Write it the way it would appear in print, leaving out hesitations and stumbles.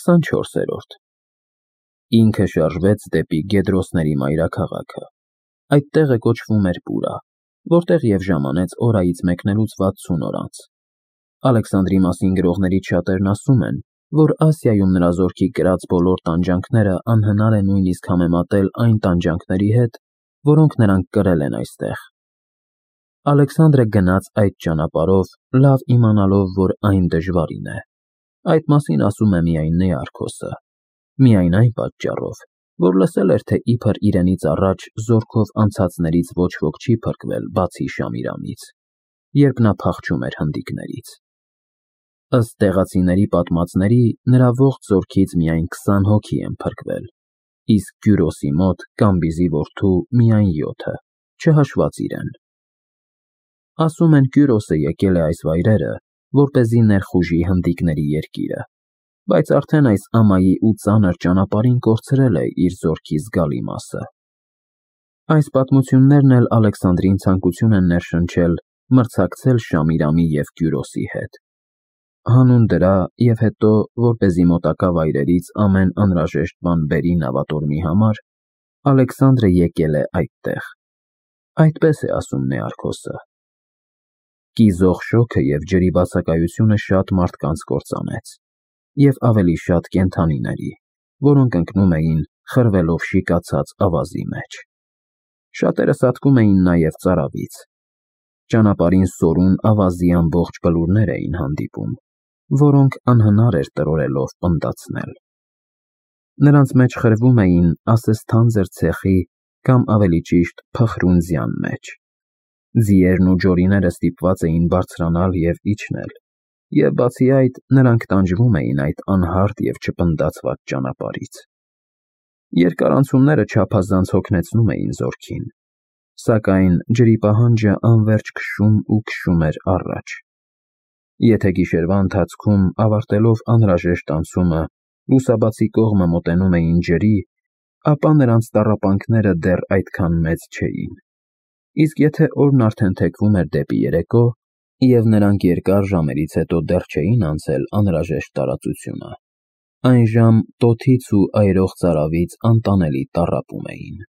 24-րդ Ինքը շարժվեց դեպի Գեդրոսների մայրաքաղաքը։ Այդ տեղը կոչվում էր Պուրա, որտեղ և ժամանեց օրայից մեկնելուց 60 օր անց։ Ալեքսանդրի մասին գրողներից շատերն ասում են, որ Ասիայում նրա զորքի կրած բոլոր տանջանքները անհնար է նույնիսկ համեմատել այն տանջանքների հետ, որոնք նրանք կրել են այստեղ։ Ալեքսանդրը գնաց այդ ճանապարհով, լավ իմանալով, որ այն դժվարին է։ Այդ մասին ասում է միայն Նեարքոսը, միայն այն պատճառով, որ լսել էր, թե իբր իրենից առաջ զորքով անցածներից ոչ ոք չի փրկվել, բացի Շամիրամից, երբ նա փախչում էր հնդիկներից։ Ըստ տեղացիների պատմածների, նրա ողջ զորքից միայն 20 հոգի են փրկվել, իսկ Կյուրոսի մոտ Կամբիզի որդու միայն 7-ը, չհաշված իրեն։ Ասում են Կյուրոսը եկել է այս վայրերը, որպեսզի ներխուժի հնդիկների երկիրը, բայց արդեն այս ամայի ու ծանր ճանապարհին կորցրել է իր զորքի զգալի մասը։ Այս պատմություններն էլ Ալեքսանդրին ցանկություն են ներշնչել մրցակցել Շամիրամի և Կյուրոսի հետ։ Հանուն դրա և հետո, որպեսզի մոտակա վայրերից ամեն անհրաժեշտ բան բերի նավատորմի համար, Ալեքսանդրը եկել է այդտեղ։ Այդպես է ասում Նեարքոսը։ Կիզող շոգը և ջրի բացակայությունը շատ մարդկանց կործանեց, և ավելի շատ կենդանիների, որոնք ընկնում էին խրվելով շիկացած ավազի մեջ։ Շատերը սատկում էին նաև ծարավից։ Ճանապարհին սորուն ավազի ամբողջ բլուրներ էին հանդիպում, որոնք անհնար էր տրորելով պնդացնել։ Նրանց մեջ խրվում էին ասես թանձր ցեխի կամ ավելի ճիշտ փխրունձյան մեջ։ Ձիերն ու ջորիները ստիպված էին բարձրանալ և իջնել, և բացի այդ, նրանք տանջվում էին այդ անհարթ և չպնդացված ճանապարհից։ Երկար անցումները չափազանց հոգնեցնում էին զորքին, սակայն ջրի պահանջը անվերջ քշում ու քշում էր առաջ։ Եթե գիշերվա ընթացքում, ավարտելով անհրաժեշտ անցումը, լուսաբացի կողմը մոտենում էին ջրի, ապա նրանց տառապանքները դեռ այդքան մեծ չէին։ Իսկ եթե օրն արդեն թեքվում էր դեպի երեկո, և նրանք երկար ժամերից հետո դեռ չէին անցել անհրաժեշտ տարածությունը, այն ժամ տոթից ու այրող ծարավից անտանելի տառապում էին։